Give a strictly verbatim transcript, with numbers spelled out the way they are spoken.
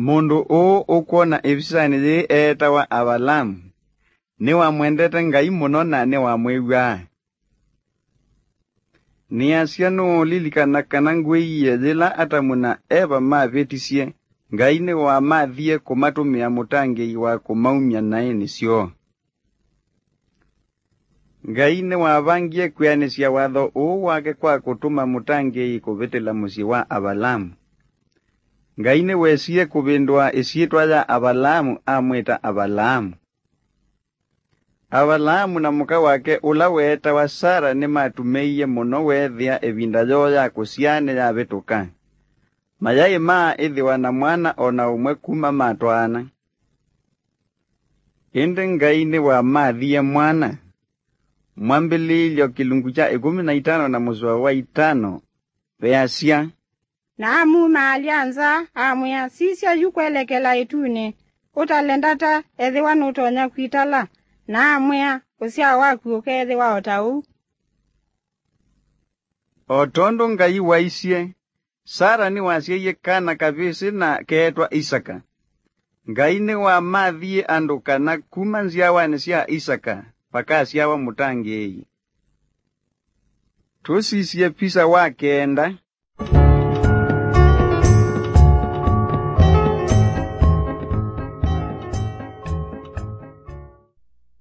Mũndũ ũũ ũkwona ĩvisanĩ yĩĩ eetawa Avalaamu. Nĩwamwendete Ngai mũno na nĩwamwĩw'aa. Nĩasya nũũlilikana kana ngwĩie yĩla Atamu na Eva mavĩtisye, Ngai nĩwamathie kũmatũmĩa mũtangĩĩi wa kũmaumya naĩnĩ syoo. Ngai nĩwavangie kwĩanĩsya watho ũũ wake kwa kũtũma mũtangĩĩi kũvĩtĩla mũsyĩ wa Avalaamu. Ngai nĩwesie kũvĩndũa ĩsyĩtwa ya Avalaamu amwĩta Avalaamu. Avalaamu na mũka wake ũla weetawa Sara nĩmatumĩie mũno weethĩa ĩvinda yoo ya kũsyaa nĩyavĩtũka. Mayaĩ maaĩthĩwa na mwana o na ũmwe kuma matwaana. Ĩndĩ Ngai nĩwamathie mwana. Mwambĩlĩĩlyo kĩlungu kya ĩkũmi na itano na mũsoa wa itano veasya, Na amumaalya nza, amwĩa, Sisya yu kwelekela ĩtunĩ, ũtale ndata, ethĩwa nũtonya kwitala. Na amwĩa, Ũsyao waku ũkeethĩwa o ta ũu. O tondũ Ngai waisye, Sara nĩwasyaie kana kavĩsĩ na keetwa Isaka. Ngai nĩwamathie andũ kana kuma nzyawanĩ sya Isaka vakasyawa mũtangĩĩi. Tũsisye visa wa kenda,